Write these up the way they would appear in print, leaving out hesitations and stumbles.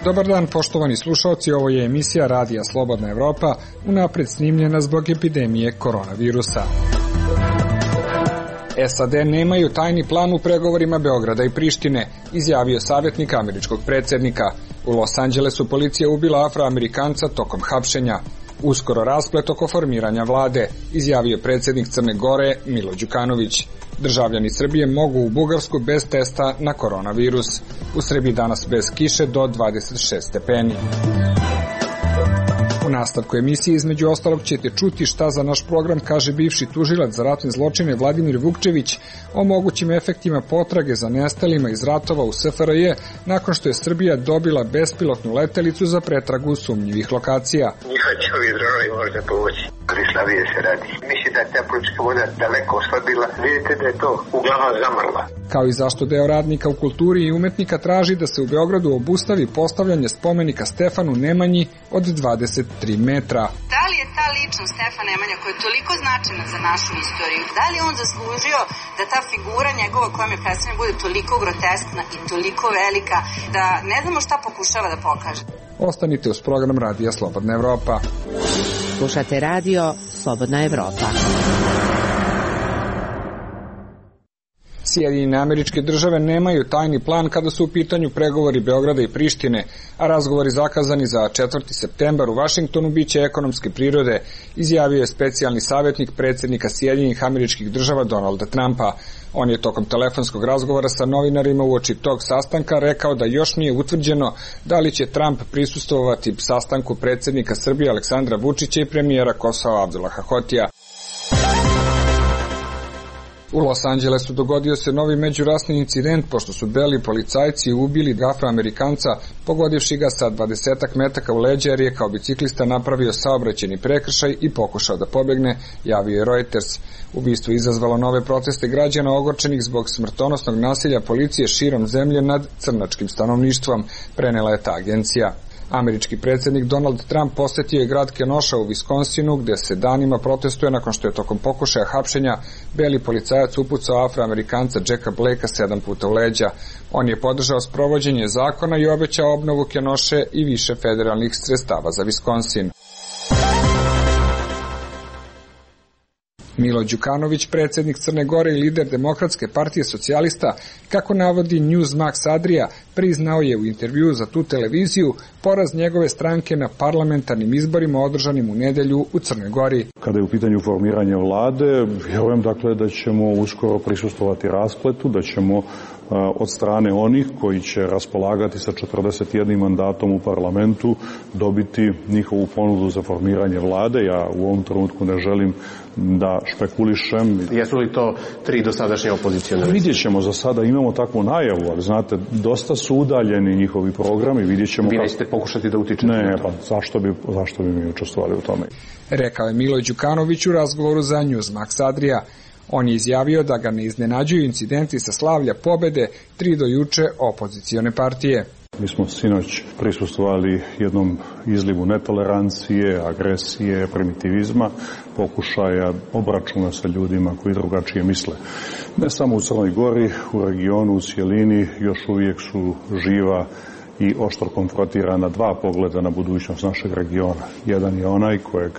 Dobar dan, poštovani slušalci, ovo je emisija Radija Slobodna Evropa, unapred snimljena zbog epidemije koronavirusa. SAD nemaju tajni plan u pregovorima Beograda i Prištine, izjavio savjetnik američkog predsjednika. U Los Angelesu policija ubila Afroamerikanca tokom hapšenja. Uskoro rasplet oko formiranja vlade, izjavio predsjednik Crne Gore Milo Đukanović. Državljani Srbije mogu u Bugarsku bez testa na koronavirus. U Srbiji danas bez kiše do 26 stepeni. U nastavku emisije između ostalog ćete čuti šta za naš program kaže bivši tužilac za ratne zločine Vladimir Vukčević o mogućim efektima potrage za nestalima iz ratova u SFRJ nakon što je Srbija dobila bespilotnu letelicu za pretragu sumnjivih lokacija. Njihova će ovi dronovi možda povući. Krislavije se radi. Mislim da je ta politička voda daleko oslabila. Vidite da je to uglavnom zamrla. Kao i zašto deo radnika u kulturi i umetnika traži da se u Beogradu obustavi postavljanje spomenika Stefanu Nemanji od 23 metra. Da li je ta ličnost Stefan Nemanja koja je toliko značajna za našu istoriju, da li on zaslužio da ta figura njegova koja je predstavljena bude toliko groteskna i toliko velika da ne znamo šta pokušava da pokaže? Ostanite uz program Radija Slobodna Evropa. Slušate Radio Slobodna Evropa. Sjedinjene Američke Države nemaju tajni plan kada su u pitanju pregovori Beograda i Prištine, a razgovori zakazani za 4. septembar u Vašingtonu biće ekonomske prirode, izjavio je specijalni savjetnik predsjednika Sjedinjenih Američkih Država Donalda Trumpa. On je tokom telefonskog razgovora sa novinarima uoči tog sastanka rekao da još nije utvrđeno da li će Trump prisustvovati sastanku predsjednika Srbije Aleksandra Vučića i premijera Kosova Abdullaha Hotija. U Los Angelesu dogodio se novi međurasni incident pošto su beli policajci ubili Afroamerikanca pogodivši ga sa 20 metaka u leđa jer je kao biciklista napravio saobraćajni prekršaj i pokušao da pobegne, javio je Reuters. Ubistvo izazvalo nove proteste građana ogorčenih zbog smrtonosnog nasilja policije širom zemlje nad crnačkim stanovništvom, prenela je ta agencija. Američki predsjednik Donald Trump posjetio je grad Kenosha u Viskonsinu gdje se danima protestuje nakon što je tokom pokušaja hapšenja beli policajac upucao Afroamerikanca Jacka Blakea 7 puta u leđa. On je podržao sprovođenje zakona i obećao obnovu Kenoshe i više federalnih sredstava za Viskonsin. Milo Đukanović, predsjednik Crne Gore i lider Demokratske partije socijalista, kako navodi Newsmax Adria, priznao je u intervjuu za tu televiziju poraz njegove stranke na parlamentarnim izborima održanim u nedelju u Crnoj Gori. Kada je u pitanju formiranje vlade, vjerujem dakle da ćemo uskoro prisustvovati raspletu, da ćemo od strane onih koji će raspolagati sa 41 mandatom u parlamentu dobiti njihovu ponudu za formiranje vlade. Ja u ovom trenutku ne želim da špekulišem. Jesu li to 3 dosadašnje opozicione? Vidjet ćemo, za sada imamo takvu najavu, ali znate, dosta su udaljeni njihovi programi, vidjet ćemo. Vi nećete pokušati da utičete na to? Ne, pa zašto bi mi učestvovali u tome? Rekao je Milo Đukanović u razgovoru za Newsmax Adria. On je izjavio da ga ne iznenađuju incidenti sa slavlja pobede 3 do juče opozicione partije. Mi smo sinoć prisustvovali jednom izlivu netolerancije, agresije, primitivizma, pokušaja obračuna sa ljudima koji drugačije misle. Ne samo u Crnoj Gori, u regionu, u cjelini još uvijek su živa i oštro konfrontirana 2 pogleda na budućnost našeg regiona. Jedan je onaj kojeg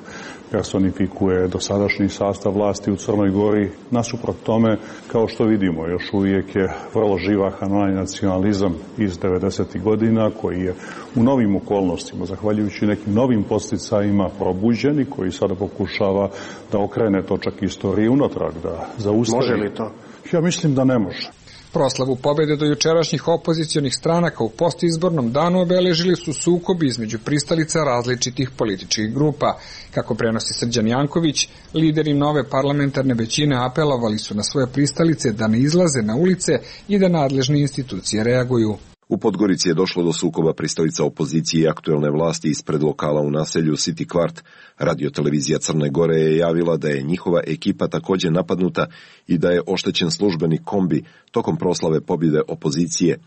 personifikuje dosadašnji sastav vlasti u Crnoj Gori. Nasuprot tome, kao što vidimo, još uvijek je vrlo živahan onaj nacionalizam iz 90. godina koji je u novim okolnostima, zahvaljujući nekim novim podsticajima probuđen i koji sada pokušava da okrene točak istorije unatrag, da zaustavi. Može li to? Ja mislim da ne može. Proslavu pobjede do jučerašnjih opozicionih stranaka u postizbornom danu obeležili su sukobi između pristalica različitih političkih grupa. Kako prenosi Srđan Janković, lideri nove parlamentarne većine apelovali su na svoje pristalice da ne izlaze na ulice i da nadležne institucije reaguju. U Podgorici je došlo do sukoba pristalica opozicije i aktuelne vlasti ispred lokala u naselju City Kvart. Radiotelevizija Crne Gore je javila da je njihova ekipa također napadnuta i da je oštećen službeni kombi tokom proslave pobjede opozicije.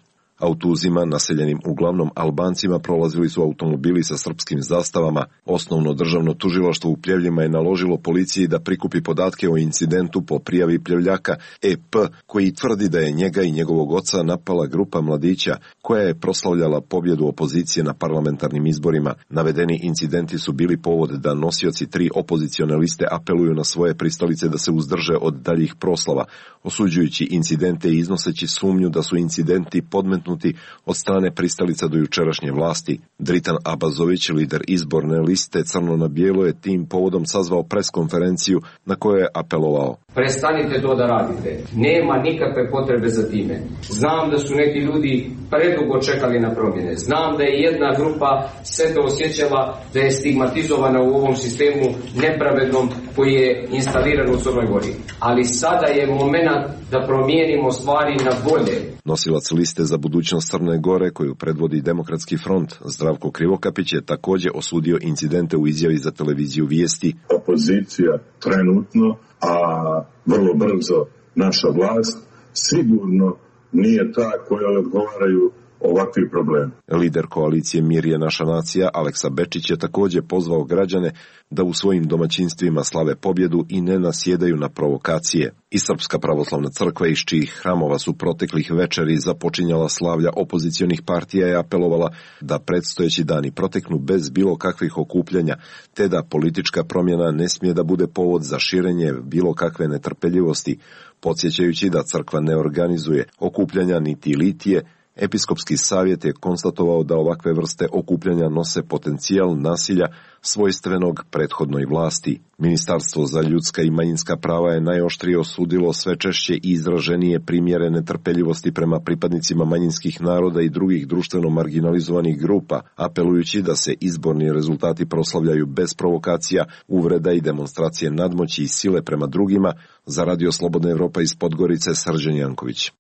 Autuzima, naseljenim uglavnom Albancima, prolazili su automobili sa srpskim zastavama. Osnovno državno tužilaštvo u Pljevljima je naložilo policiji da prikupi podatke o incidentu po prijavi Pljevljaka EP, koji tvrdi da je njega i njegovog oca napala grupa mladića koja je proslavljala pobjedu opozicije na parlamentarnim izborima. Navedeni incidenti su bili povod da nosioci 3 opozicione liste apeluju na svoje pristalice da se uzdrže od daljih proslava, osuđujući incidente i iznoseći sumnju da su incidenti podmetnuti od strane pristalica do jučerašnje vlasti. Dritan Abazović, lider izborne liste Crno na bijelo, je tim povodom sazvao preskonferenciju na kojoj je apelovao: prestanite to da radite. Nema nikakve potrebe za time. Znam da su neki ljudi predugo čekali na promjene. Znam da je jedna grupa sebe osjećala da je stigmatizovana u ovom sistemu nepravednom koji je instaliran u Crnoj Gori. Ali sada je momenat da promijenimo stvari na bolje. Nosilac liste za budućnost Crne Gore, koju predvodi Demokratski front, Zdravko Krivokapić, je također osudio incidente u izjavi za televiziju Vijesti. Opozicija trenutno, a vrlo brzo naša vlast, sigurno nije ta koja odgovaraju ovakvi problemi. Lider koalicije Mir je naša nacija, Aleksa Bečić, je također pozvao građane da u svojim domaćinstvima slave pobjedu i ne nasjedaju na provokacije. I Srpska pravoslavna crkva, iz čijih hramova su proteklih večeri započinjala slavlja opozicionih partija, je apelovala da predstojeći dani proteknu bez bilo kakvih okupljanja, te da politička promjena ne smije da bude povod za širenje bilo kakve netrpeljivosti, podsjećajući da crkva ne organizuje okupljanja niti litije. Episkopski savjet je konstatovao da ovakve vrste okupljanja nose potencijal nasilja svojstvenog prethodnoj vlasti. Ministarstvo za ljudska i manjinska prava je najoštrije osudilo sve češće i izraženije primjere netrpeljivosti prema pripadnicima manjinskih naroda i drugih društveno marginalizovanih grupa, apelujući da se izborni rezultati proslavljaju bez provokacija, uvreda i demonstracije nadmoći i sile prema drugima. Za Radio Slobodna Evropa iz Podgorice, Srđan Janković.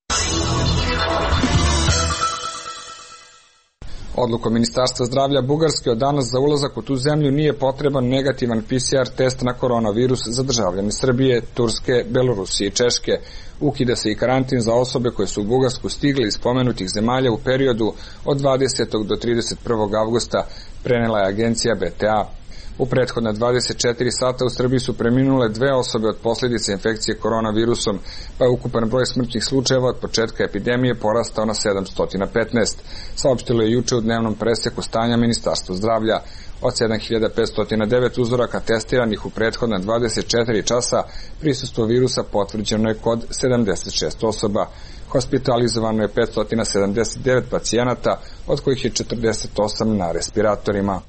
Odlukom Ministarstva zdravlja Bugarske od danas za ulazak u tu zemlju nije potreban negativan PCR test na koronavirus za državljane Srbije, Turske, Belorusije i Češke. Ukida se i karantin za osobe koje su u Bugarsku stigle iz spomenutih zemalja u periodu od 20. do 31. avgusta, prenela je agencija BTA. U prethodna 24 sata u Srbiji su preminule 2 osobe od posljedice infekcije koronavirusom, pa je ukupan broj smrtnih slučajeva od početka epidemije porastao na 715, saopštilo je juče u dnevnom preseku stanja Ministarstva zdravlja. Od 7509 uzoraka testiranih u prethodna 24 časa prisustvo virusa potvrđeno je kod 76 osoba. Hospitalizovano je 579 pacijenata, od kojih je 48 na respiratorima.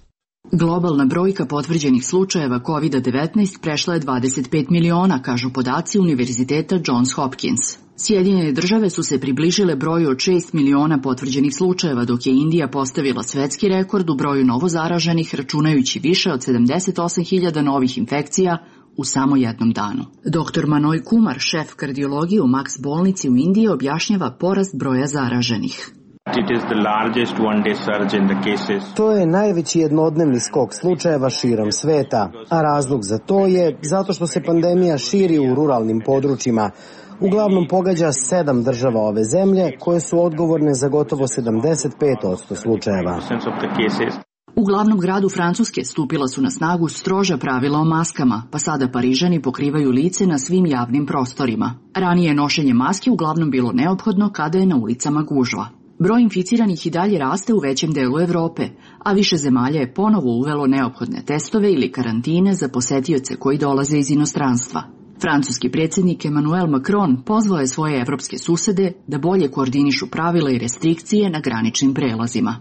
Globalna brojka potvrđenih slučajeva COVID-19 prešla je 25 miliona, kažu podaci Univerziteta Johns Hopkins. Sjedinjene države su se približile broju od 6 miliona potvrđenih slučajeva, dok je Indija postavila svetski rekord u broju novozaraženih, računajući više od 78.000 novih infekcija u samo jednom danu. Dr. Manoj Kumar, šef kardiologije u Max bolnici u Indiji, objašnjava porast broja zaraženih. To je najveći jednodnevni skok slučajeva širom sveta, a razlog za to je zato što se pandemija širi u ruralnim područjima. Uglavnom pogađa 7 država ove zemlje koje su odgovorne za gotovo 75% slučajeva. U glavnom gradu Francuske stupila su na snagu stroža pravila o maskama, pa sada Parižani pokrivaju lice na svim javnim prostorima. Ranije je nošenje maske uglavnom bilo neophodno kada je na ulicama gužva. Broj inficiranih i dalje raste u većem delu Evrope, a više zemalja je ponovo uvelo neophodne testove ili karantine za posetioce koji dolaze iz inostranstva. Francuski predsjednik Emmanuel Macron pozvao je svoje evropske susede da bolje koordinišu pravila i restrikcije na graničnim prelazima.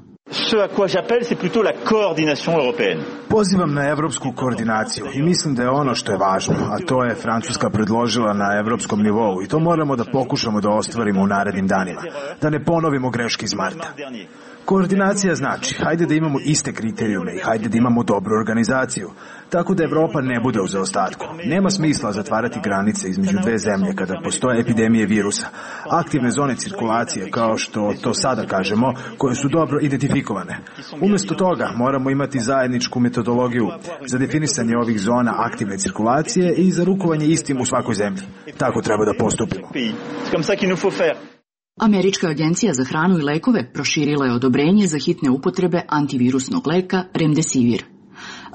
Pozivam na evropsku koordinaciju i mislim da je ono što je važno, a to je Francuska predložila na evropskom nivou i to moramo da pokušamo da ostvarimo u narednim danima, da ne ponovimo greške iz marta. Koordinacija znači, hajde da imamo iste kriterijume i hajde da imamo dobru organizaciju, tako da Evropa ne bude u zaostatku. Nema smisla zatvarati granice između dve zemlje kada postoje epidemije virusa, aktivne zone cirkulacije, kao što to sada kažemo, koje su dobro identifikovane. Umjesto toga moramo imati zajedničku metodologiju za definisanje ovih zona aktivne cirkulacije i za rukovanje istim u svakoj zemlji. Tako treba da postupimo. Američka agencija za hranu i lekove proširila je odobrenje za hitne upotrebe antivirusnog leka Remdesivir.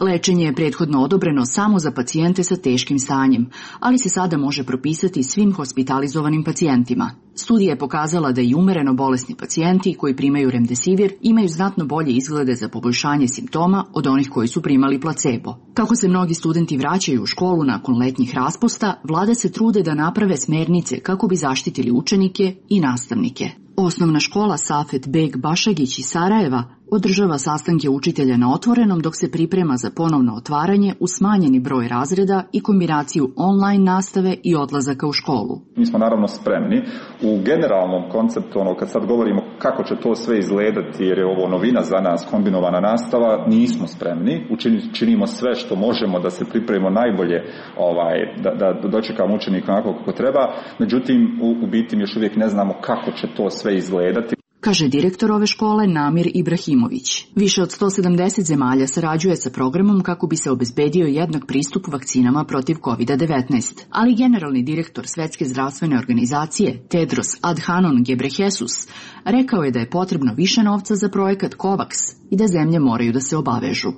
Lečenje je prethodno odobreno samo za pacijente sa teškim stanjem, ali se sada može propisati svim hospitalizovanim pacijentima. Studija je pokazala da i umereno bolesni pacijenti koji primaju Remdesivir imaju znatno bolje izglede za poboljšanje simptoma od onih koji su primali placebo. Kako se mnogi studenti vraćaju u školu nakon letnjih raspusta, vlade se trude da naprave smernice kako bi zaštitili učenike i nastavnike. Osnovna škola Safet Beg Bašagić iz Sarajeva održava sastanke učitelja na otvorenom dok se priprema za ponovno otvaranje u smanjeni broj razreda i kombinaciju online nastave i odlazaka u školu. Mi smo naravno spremni. U generalnom konceptu, kad sad govorimo kako će to sve izgledati, jer je ovo novina za nas, kombinovana nastava, nismo spremni. Činimo sve što možemo da se pripremimo najbolje, da dočekamo učenika onako kako treba. Međutim, u biti mi još uvijek ne znamo kako će to sve izgledati. Kaže direktor ove škole Namir Ibrahimović. Više od 170 zemalja sarađuje sa programom kako bi se obezbedio jednak pristup vakcinama protiv COVID-19. Ali generalni direktor Svetske zdravstvene organizacije Tedros Adhanom Ghebreyesus rekao je da je potrebno više novca za projekat COVAX i da zemlje moraju da se obavežu.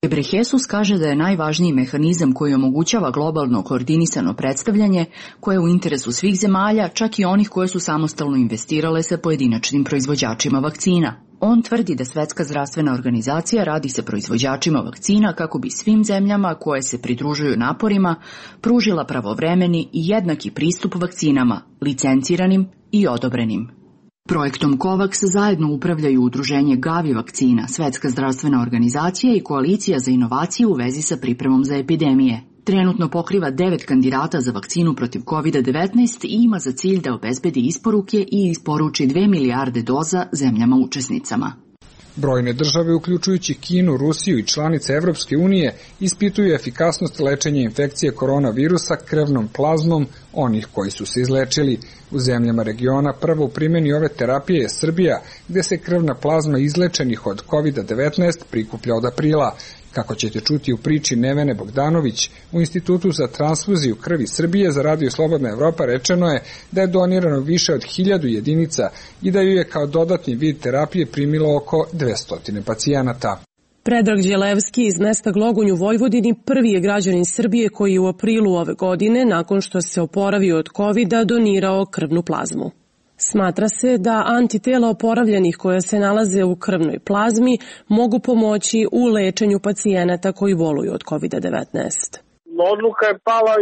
Ghebreyesus kaže da je najvažniji mehanizam koji omogućava globalno koordinisano predstavljanje koje je u interesu svih zemalja, čak i onih koje su samostalno investirale sa pojedinačnim proizvođačima vakcina. On tvrdi da Svetska zdravstvena organizacija radi sa proizvođačima vakcina kako bi svim zemljama koje se pridružuju naporima pružila pravovremeni i jednaki pristup vakcinama, licenciranim i odobrenim. Projektom COVAX zajedno upravljaju udruženje Gavi vakcina, Svetska zdravstvena organizacija i Koalicija za inovacije u vezi sa pripremom za epidemije. Trenutno pokriva 9 kandidata za vakcinu protiv COVID-19 i ima za cilj da obezbedi isporuke i isporuči 2 milijarde doza zemljama učesnicama. Brojne države, uključujući Kinu, Rusiju i članice Evropske unije, ispituju efikasnost lečenja infekcije koronavirusa krvnom plazmom onih koji su se izlečili. U zemljama regiona prvo u primjeni ove terapije je Srbija, gde se krvna plazma izlečenih od COVID-19 prikuplja od aprila. Kako ćete čuti u priči Nevene Bogdanović, u Institutu za transfuziju krvi Srbije za Radio Slobodna Evropa rečeno je da je donirano više od 1000 jedinica i da ju je kao dodatni vid terapije primilo oko 200 pacijenata. Predrag Đelevski iz mesta Glogonj u Vojvodini prvi je građanin Srbije koji je u aprilu ove godine, nakon što se oporavio od COVID-a, donirao krvnu plazmu. Smatra se da antitela oporavljenih koja se nalaze u krvnoj plazmi mogu pomoći u lečenju pacijenata koji boluju od COVID-19. Odluka je pala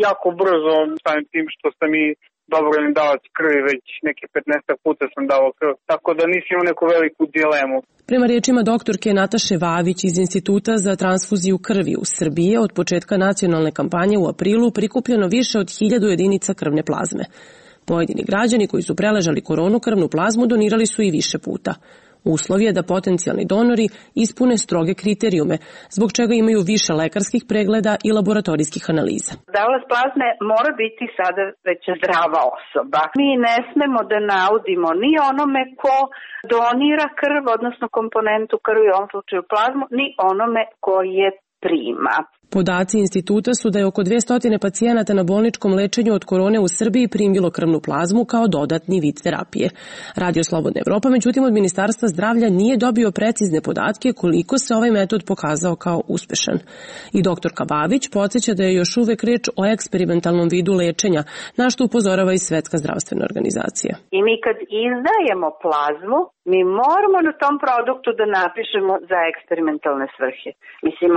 jako brzo, samim tim što sam i dobrovoljni davac krvi, već neke 15 puta sam davao krv, tako da nisam imao neku veliku dilemu. Prema riječima doktorke Nataše Vavić iz Instituta za transfuziju krvi u Srbiji, od početka nacionalne kampanje u aprilu prikupljeno više od 1000 jedinica krvne plazme. Pojedini građani koji su preležali koronu krvnu plazmu donirali su i više puta. Uslov je da potencijalni donori ispune stroge kriterijume, zbog čega imaju više lekarskih pregleda i laboratorijskih analiza. Davalac plazme mora biti sada već zdrava osoba. Mi ne smemo da naudimo ni onome ko donira krv, odnosno komponentu krvi, u ovom slučaju plazmu, ni onome ko je prima. Podaci instituta su da je oko 200 pacijenata na bolničkom lečenju od korone u Srbiji primilo krvnu plazmu kao dodatni vid terapije. Radio Slobodna Evropa, međutim, od Ministarstva zdravlja nije dobio precizne podatke koliko se ovaj metod pokazao kao uspešan. I doktorka Babić podsjeća da je još uvek reč o eksperimentalnom vidu lečenja, na što upozorava i Svetska zdravstvena organizacija. I mi kad izdajemo plazmu, mi moramo na tom produktu da napišemo za eksperimentalne svrhe. Mislim,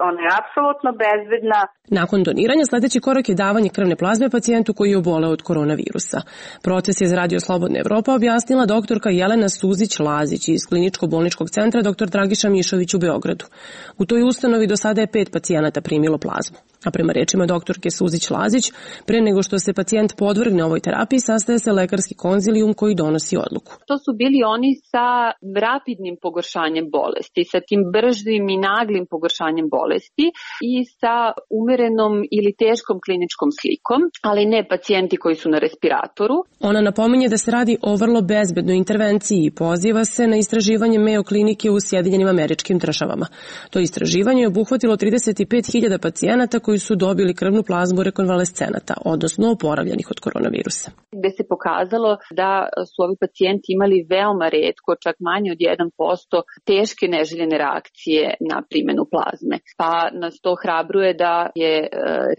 ona je apsolutno bezbedna. Nakon doniranja sledeći korak je davanje krvne plazme pacijentu koji je oboleo od koronavirusa. Proces je za Radio Slobodna Evropa objasnila doktorka Jelena Suzić-Lazić iz Kliničko-bolničkog centra dr. Dragiša Mišović u Beogradu. U toj ustanovi do sada je 5 pacijenata primilo plazmu. A prema rečima doktorke Suzić-Lazić, pre nego što se pacijent podvrgne ovoj terapiji, sastaje se lekarski konzilijum koji donosi odluku. To su bili oni sa rapidnim pogoršanjem bolesti, sa tim bržim i naglim pogoršanjem bolesti i sa umerenom ili teškom kliničkom slikom, ali ne pacijenti koji su na respiratoru. Ona napominje da se radi o vrlo bezbednoj intervenciji i poziva se na istraživanje Mayo klinike u Sjedinjenim Američkim Državama. To istraživanje je obuhvatilo 35.000 pacijenata koji koji su dobili krvnu plazmu rekonvalescenata, odnosno oporavljenih od koronavirusa. Gde se pokazalo da su ovi pacijenti imali veoma retko, čak manje od 1%, teške neželjene reakcije na primenu plazme. Pa nas to hrabruje da je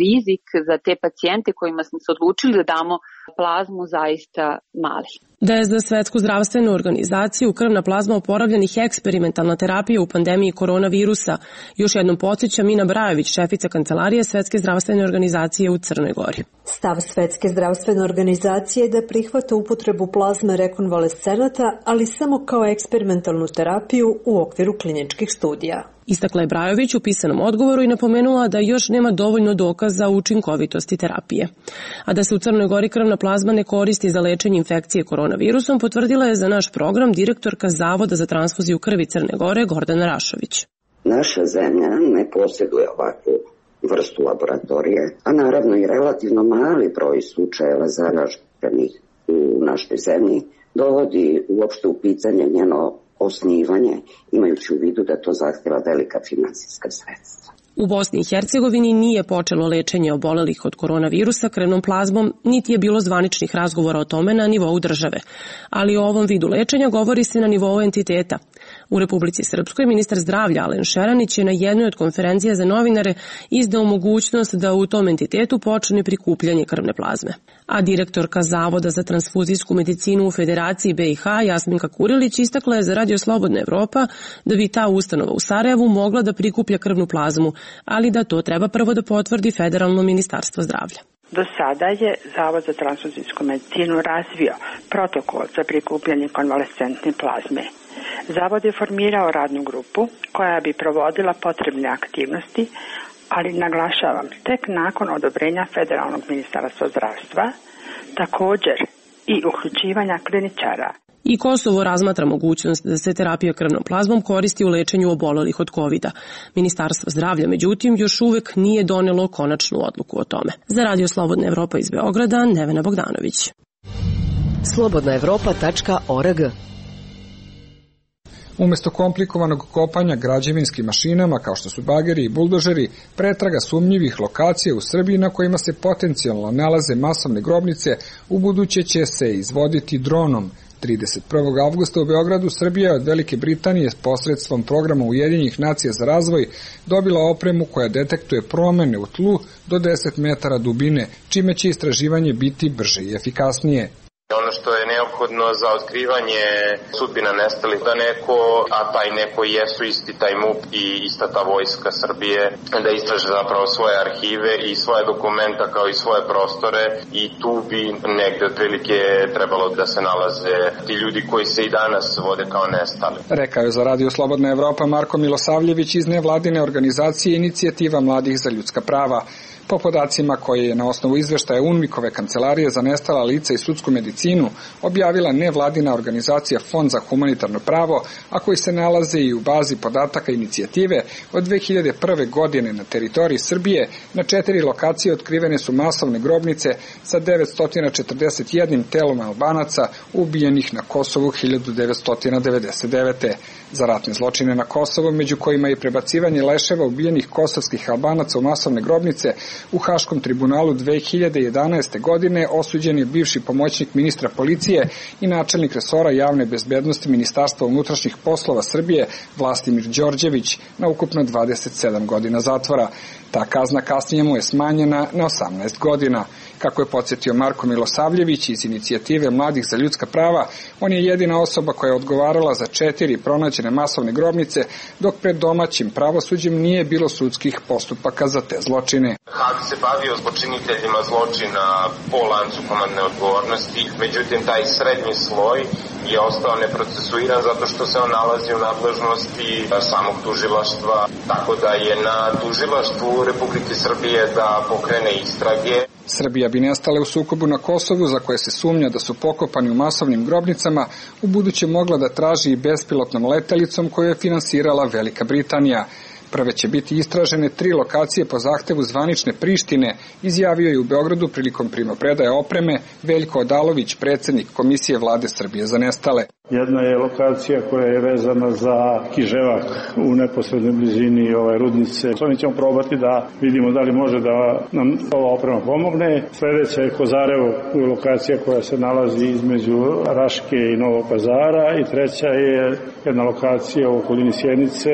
rizik za te pacijente kojima smo se odlučili da damo plazmu zaista mali. Da je za Svetsku zdravstvenu organizaciju krvna plazma oporavljenih eksperimentalna terapija u pandemiji koronavirusa, još jednom podsjeća Mina Brajović, šefica kancelarije Svetske zdravstvene organizacije u Crnoj Gori. Stav Svetske zdravstvene organizacije je da prihvata upotrebu plazme rekonvalescenata, ali samo kao eksperimentalnu terapiju u okviru kliničkih studija. Istakla je Brajović u pisanom odgovoru i napomenula da još nema dovoljno dokaza o učinkovitosti terapije. A da se u Crnoj Gori krvna plazma ne koristi za lečenje infekcije koronavirusom, potvrdila je za naš program direktorka Zavoda za transfuziju krvi Crne Gore Gordana Rašović. Naša zemlja ne posjeduje ovakvu vrstu laboratorije, a naravno i relativno mali broj slučajeva zaraženih u našoj zemlji dovodi uopšte u pitanje njeno osnivanje, imajući u vidu da to zahtjeva velika finansijska sredstva. U Bosni i Hercegovini nije počelo lečenje obolelih od koronavirusa krvnom plazmom, niti je bilo zvaničnih razgovora o tome na nivou države. Ali o ovom vidu lečenja govori se na nivou entiteta. U Republici Srpskoj ministar zdravlja Alen Šeranić je na jednoj od konferencija za novinare izdao mogućnost da u tom entitetu počne prikupljanje krvne plazme. A direktorka Zavoda za transfuzijsku medicinu u Federaciji BiH Jasminka Kurilić istakla je za Radio Slobodna Evropa da bi ta ustanova u Sarajevu mogla da prikuplja krvnu plazmu, ali da to treba prvo da potvrdi Federalno ministarstvo zdravlja. Do sada je Zavod za transfuzijsku medicinu razvio protokol za prikupljanje konvalescentne plazme. Zavod je formirao radnu grupu koja bi provodila potrebne aktivnosti, ali naglašavam, tek nakon odobrenja Federalnog ministarstva zdravstva, također i uključivanja kliničara. I Kosovo razmatra mogućnost da se terapija krvnom plazmom koristi u lečenju obolelih od COVID-a. Ministarstvo zdravlja, međutim, još uvek nije donelo konačnu odluku o tome. Za Radio Slobodna Evropa iz Beograda, Nevena Bogdanović. slobodnaevropa.org. Umesto komplikovanog kopanja građevinskim mašinama, kao što su bageri i buldožeri, pretraga sumnjivih lokacija u Srbiji na kojima se potencijalno nalaze masovne grobnice, u buduće će se izvoditi dronom. 31. avgusta u Beogradu Srbija od Velike Britanije s posredstvom programa Ujedinjenih nacija za razvoj dobila opremu koja detektuje promene u tlu do 10 metara dubine, čime će istraživanje biti brže i efikasnije. Ono što je neophodno za otkrivanje sudbina nestalih, da neko, a taj neko jesu isti taj MUP i ista ta vojska Srbije, da istraže zapravo svoje arhive i svoje dokumenta kao i svoje prostore i tu bi negde otprilike trebalo da se nalaze ti ljudi koji se i danas vode kao nestali. Rekao je za Radio Slobodna Evropa Marko Milosavljević iz nevladine organizacije Inicijativa mladih za ljudska prava. Po podacima koje je na osnovu izveštaja UNMIK-ove kancelarije za nestala lica i sudsku medicinu objavila nevladina organizacija Fond za humanitarno pravo, a koji se nalaze i u bazi podataka inicijative, od 2001. godine na teritoriji Srbije na 4 lokacije otkrivene su masovne grobnice sa 941 telom Albanaca ubijenih na Kosovu 1999. Za ratne zločine na Kosovu, među kojima je prebacivanje leševa ubijenih kosovskih Albanaca u masovne grobnice, u Haškom tribunalu 2011. godine osuđen je bivši pomoćnik ministra policije i načelnik resora javne bezbednosti Ministarstva unutrašnjih poslova Srbije Vlastimir Đorđević na ukupno 27 godina zatvora. Ta kazna kasnije mu je smanjena na 18 godina. Kako je podsjetio Marko Milosavljević iz Inicijative mladih za ljudska prava, on je jedina osoba koja je odgovarala za 4 pronađene masovne grobnice, dok pred domaćim pravosuđem nije bilo sudskih postupaka za te zločine. Hag se bavio počiniteljima zločina po lancu komandne odgovornosti, međutim taj srednji sloj je ostao neprocesuiran zato što se on nalazi u nadležnosti samog tužilaštva, tako da je na tužilaštvu Republike Srbije da pokrene istrage. Srbija bi nestale u sukobu na Kosovu, za koje se sumnja da su pokopani u masovnim grobnicama, u buduće mogla da traži i bespilotnom letelicom koju je finansirala Velika Britanija. Prve će biti istražene 3 lokacije po zahtevu zvanične Prištine, izjavio je u Beogradu prilikom primopredaje opreme Veljko Odalović, predsednik Komisije vlade Srbije za nestale. Jedna je lokacija koja je vezana za Kiževak u neposrednoj blizini rudnice. Mi ćemo probati da vidimo da li može da nam ova oprema pomogne. Sledeća je Kozarevo, lokacija koja se nalazi između Raške i Novog Pazara, i treća je jedna lokacija u okolini Sjenice,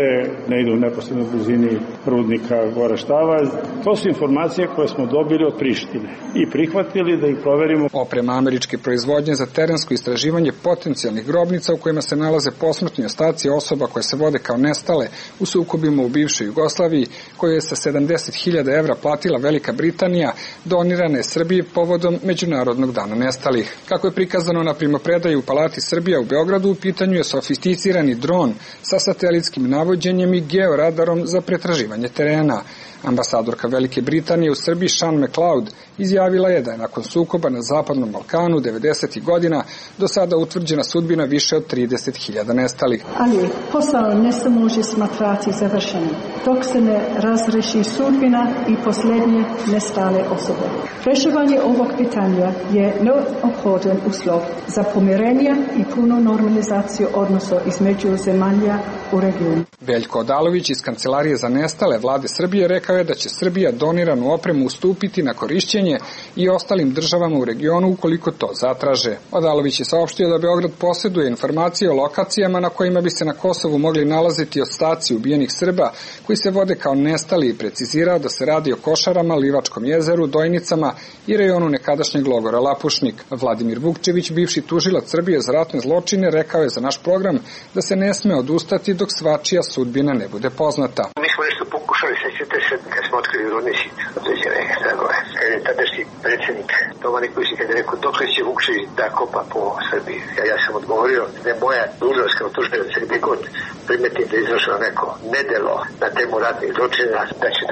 ne ide u neposrednoj blizini rudnika Gore Štavalj. To su informacije koje smo dobili od Prištine i prihvatili da ih proverimo. Oprema američke proizvodnje za terensko istraživanje potencijalnih grobnica u kojima se nalaze posmrtni ostaci osoba koje se vode kao nestale u sukobima u bivšoj Jugoslaviji, koju je sa 70.000 evra platila Velika Britanija, donirane je Srbiji povodom Međunarodnog dana nestalih. Kako je prikazano na primopredaji u Palati Srbija u Beogradu, u pitanju je sofisticirani dron sa satelitskim navođenjem i georadarom za pretraživanje terena. Ambasadorka Velike Britanije u Srbiji Sean McLeod izjavila je da je nakon sukoba na Zapadnom Balkanu 90. godina do sada utvrđena sudbina više od 30.000 nestalih. Ali posao ne se može smatrati završenim dok se ne razreši sudbina i posljednje nestale osobe. Rešavanje ovog pitanja je neophodan uslov za pomirenje i punu normalizaciju odnosa između zemalja u regionu. Veljko Odalović iz Kancelarije za nestale vlade Srbije rekao je da će Srbija doniranu opremu ustupiti na korišćenje i ostalim državama u regionu ukoliko to zatraže. Odalović je saopštio da Beograd posjeduje informacije o lokacijama na kojima bi se na Kosovu mogli nalaziti ostaci ubijenih Srba koji se vode kao nestali i precizirao da se radi o Košarama, Livačkom jezeru, Dojnicama i rejonu nekadašnjeg logora Lapušnik. Vladimir Vukčević, bivši tužilac Srbije za ratne zločine, rekao je za naš program da se ne sme odustati dok svačija sudbina ne bude poznata. Mi smo nešto pokušali, sećate se, kad smo otkrili rudnici, određene tragove. Kad je tadašnji predsjednik Toma Nikolić, kad je rekao dokle će Vukčević da kopa po Srbiji. Ja sam odgovorio da je moja dužnost kao tužilac gdje god primetim da je izvršeno neko nedelo na temu ratnih zločina, da će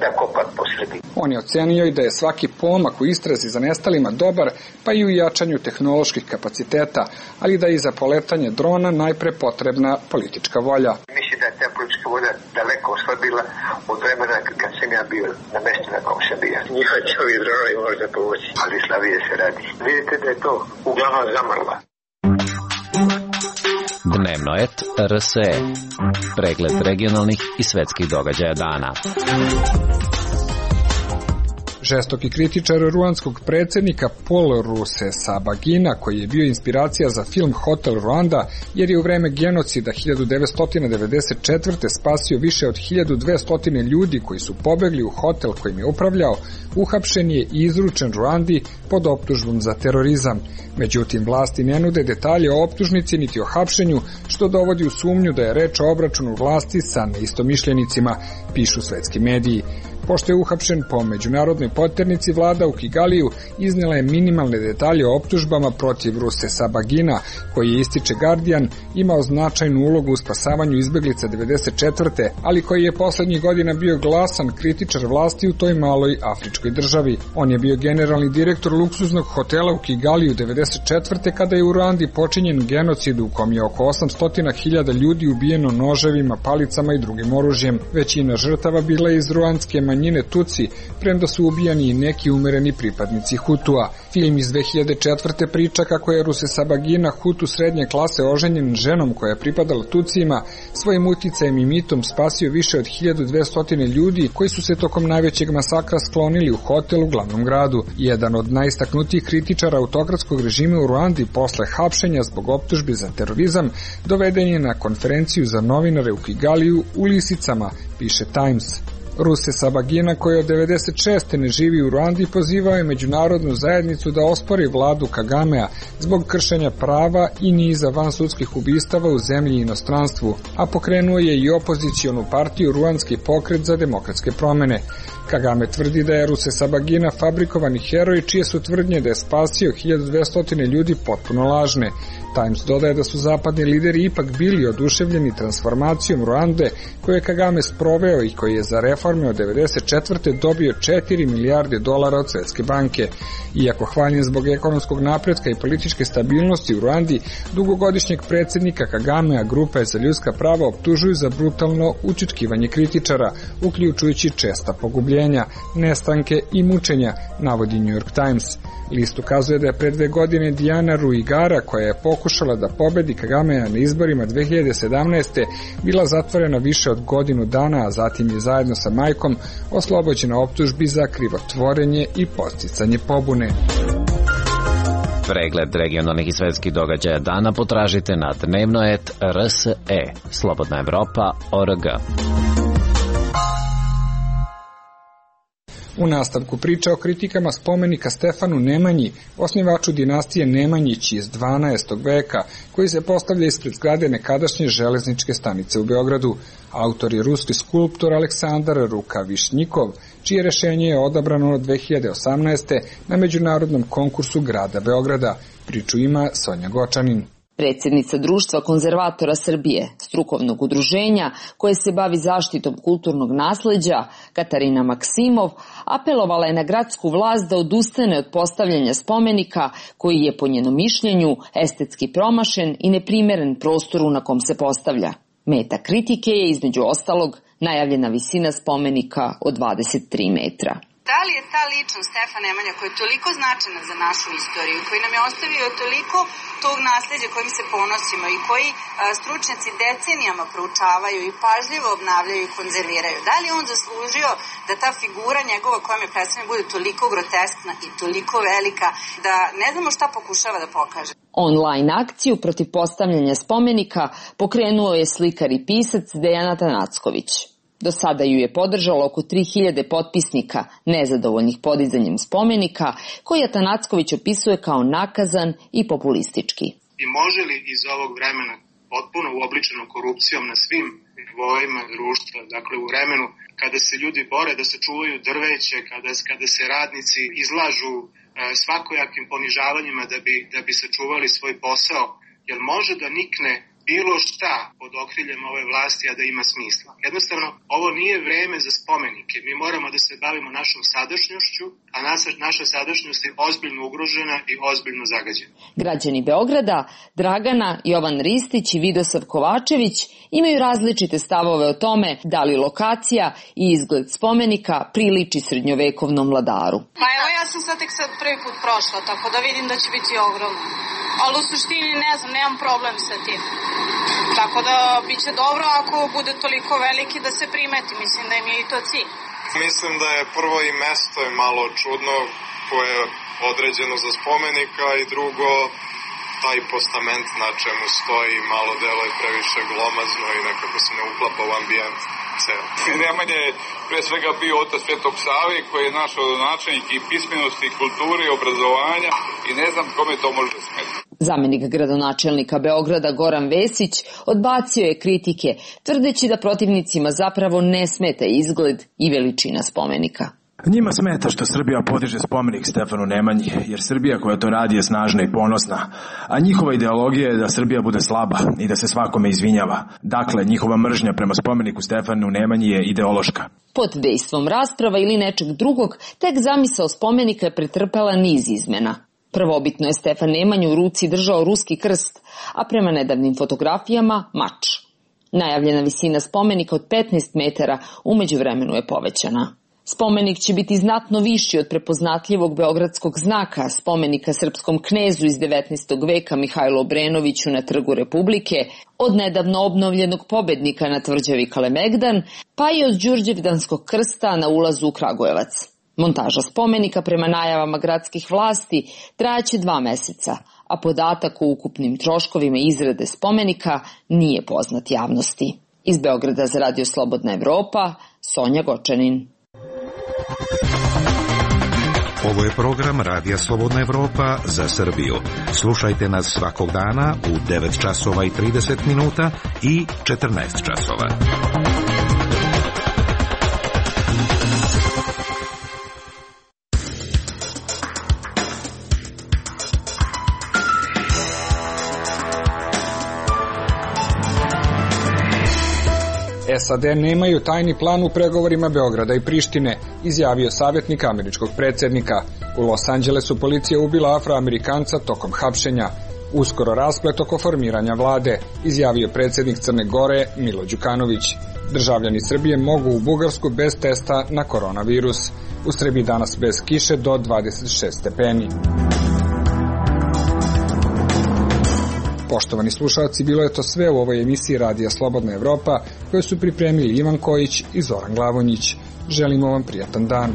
da kopa po Srbiji. On je ocenio i da je svaki pomak u istrazi za nestalima dobar, pa i u jačanju tehnoloških kapaciteta, ali da je i za poletanje drona najpre potrebna politička volja. Mislim da je ta politička volja daleko oslabila od vremena kad sam ja bio na mjestu na kom sam bio. Njihova će ovi dronovi možda povući, ali slabije se radi. Vidite da je to uglavnom zamrla. Dnevnoet RSE. Pregled regionalnih i svetskih događaja dana. Žestoki kritičar ruandskog predsjednika Paul Rusesabagina, koji je bio inspiracija za film Hotel Rwanda, jer je u vreme genocida 1994. spasio više od 1200 ljudi koji su pobegli u hotel kojim je upravljao, uhapšen je i izručen Ruandi pod optužbom za terorizam. Međutim, vlasti ne nude detalje o optužnici niti o hapšenju, što dovodi u sumnju da je reč o obračunu vlasti sa neistomišljenicima, pišu svetski mediji. Pošto je uhapšen po međunarodnoj poternici, vlada u Kigaliju iznela je minimalne detalje o optužbama protiv Rusesabagina, koji je, ističe Guardian, imao značajnu ulogu u spasavanju izbeglica 94. ali koji je poslednjih godina bio glasan kritičar vlasti u toj maloj afričkoj državi. On je bio generalni direktor luksuznog hotela u Kigaliju 94. kada je u Ruandi počinjen genocid u kom je oko 800.000 ljudi ubijeno noževima, palicama i drugim oružjem. Većina žrtava bila je iz ruandske manjine Tutsi, premda su ubijani i neki umereni pripadnici Hutua. Film iz 2004. priča kako je Rusesabagina, Hutu srednje klase, oženjen ženom koja je pripadala Tutsima, svojim uticajem i mitom spasio više od 1200 ljudi koji su se tokom najvećeg masakra sklonili u hotel u glavnom gradu. Jedan od najistaknutijih kritičara autokratskog režima u Ruandi posle hapšenja zbog optužbi za terorizam doveden je na konferenciju za novinare u Kigaliju u lisicama, piše Times. Rusesabagina, koji od 96. ne živi u Ruandi, pozivao je međunarodnu zajednicu da ospori vladu Kagamea zbog kršenja prava i niza vansudskih ubistava u zemlji i inostranstvu, a pokrenuo je i opozicionu partiju Ruandski pokret za demokratske promene. Kagame tvrdi da je Rusesabagina fabrikovani heroj, čije su tvrdnje da je spasio 1200 ljudi potpuno lažne. Times dodaje da su zapadni lideri ipak bili oduševljeni transformacijom Ruande koju je Kagame sproveo i koji je za reforme od 94. dobio $4 milijarde od Svetske banke. Iako hvaljen zbog ekonomskog napretka i političke stabilnosti u Ruandi, dugogodišnjeg predsjednika Kagamea grupe za ljudska prava optužuju za brutalno ućutkivanje kritičara, uključujući česta pogubljenja. ubijenja, nestanke i mučenja, navodi New York Times. List ukazuje da je pre 2 godine Diana Ruigara, koja je pokušala da pobedi Kagamea na izborima 2017. bila zatvorena više od godinu dana, a zatim je zajedno sa majkom oslobođena optužbi za krivotvorenje i podsticanje pobune. Pregled regionalnih i svetskih događaja dana potražite na dnevno.rse, Slobodna Evropa.org. U nastavku priča o kritikama spomenika Stefanu Nemanji, osnivaču dinastije Nemanjići iz 12. veka, koji se postavlja ispred zgrade nekadašnje železničke stanice u Beogradu. Autor je ruski skulptor Aleksandar Rukavišnjikov, čije rešenje je odabrano 2018. na međunarodnom konkursu grada Beograda. Priču ima Sonja Gočanin. Predsjednica Društva konzervatora Srbije, strukovnog udruženja koje se bavi zaštitom kulturnog nasleđa, Katarina Maksimov, apelovala je na gradsku vlast da odustane od postavljanja spomenika koji je po njenom mišljenju estetski promašen i neprimeren prostoru na kom se postavlja. Meta kritike je između ostalog najavljena visina spomenika od 23 metra. Da li je ta ličnost Stefan Nemanja, koja je toliko značajna za našu istoriju, koji nam je ostavio toliko tog nasleđa kojim se ponosimo i koji stručnjaci decenijama proučavaju i pažljivo obnavljaju i konzerviraju, da li on zaslužio da ta figura njegova koja me predstavlja bude toliko groteskna i toliko velika da ne znamo šta pokušava da pokaže? Online akciju protiv postavljanja spomenika pokrenuo je slikar i pisac Dejan Atanacković. Do sada ju je podržalo oko 3000 potpisnika nezadovoljnih podizanjem spomenika, koji Atanacković opisuje kao nakazan i populistički. I može li iz ovog vremena potpuno uobličeno korupcijom na svim nivoima društva, dakle u vremenu kada se ljudi bore da sačuvaju drveće, kada se radnici izlažu svakojakim ponižavanjima da bi sačuvali svoj posao, jer može da nikne bilo šta pod okriljem ove vlasti, a da ima smisla. Jednostavno, ovo nije vreme za spomenike. Mi moramo da se bavimo našom sadašnjošću, a naša sadašnjost je ozbiljno ugrožena i ozbiljno zagađena. Građani Beograda, Dragana, Jovan Ristić i Vidosav Kovačević imaju različite stavove o tome da li lokacija i izgled spomenika priliči srednjovekovnom vladaru. Pa evo, ja sam sad tek prvi put prošla, tako da vidim da će biti ogromno. Ali u suštini ne znam, nemam problem sa tim. Tako da biće dobro ako bude toliko veliki da se primeti, mislim da im je i to cilj. Mislim da je prvo i mesto je malo čudno koje je određeno za spomenika i drugo taj postament na čemu stoji malo delo je previše glomazno i nekako se ne uklapa u ambijent. Nemanja je pre svega bio otac Svetog Save koji je naš rodonačelnik i pismenosti, i kulture i obrazovanja i ne znam kome to može smetiti. Zamenik gradonačelnika Beograda Goran Vesić odbacio je kritike, tvrdeći da protivnicima zapravo ne smeta izgled i veličina spomenika. Njima smeta što Srbija podiže spomenik Stefanu Nemanji, jer Srbija koja to radi je snažna i ponosna, a njihova ideologija je da Srbija bude slaba i da se svakome izvinjava. Dakle, njihova mržnja prema spomeniku Stefanu Nemanji je ideološka. Pod dejstvom rasprava ili nečeg drugog, tek zamisao spomenika je pretrpela niz izmena. Prvobitno je Stefan Nemanju u ruci držao ruski krst, a prema nedavnim fotografijama mač. Najavljena visina spomenika od 15 metara u međuvremenu je povećana. Spomenik će biti znatno viši od prepoznatljivog beogradskog znaka, spomenika srpskom knezu iz 19. veka Mihajlu Obrenoviću na Trgu Republike, od nedavno obnovljenog pobednika na tvrđavi Kalemegdan, pa i od Đurđevdanskog krsta na ulazu u Kragujevac. Montaža spomenika prema najavama gradskih vlasti trajaće 2 meseca, a podatak o ukupnim troškovima izrade spomenika nije poznat javnosti. Iz Beograda za Radio Slobodna Evropa, Sonja Gočanin. Ovo je program Radija Slobodna Evropa za Srbiju. Slušajte nas svakog dana u 9 časova i 30 minuta i 14 časova. SAD nemaju tajni plan u pregovorima Beograda i Prištine, izjavio savjetnik američkog predsjednika. U Los Angelesu policija ubila Afroamerikanca tokom hapšenja. Uskoro rasplet oko formiranja vlade, izjavio predsjednik Crne Gore Milo Đukanović. Državljani Srbije mogu u Bugarsku bez testa na koronavirus. U Srbiji danas bez kiše do 26 stepeni. Poštovani slušalci, bilo je to sve u ovoj emisiji Radija Slobodna Evropa, koju su pripremili Ivan Kojić i Zoran Glavonjić. Želimo vam prijatan dan.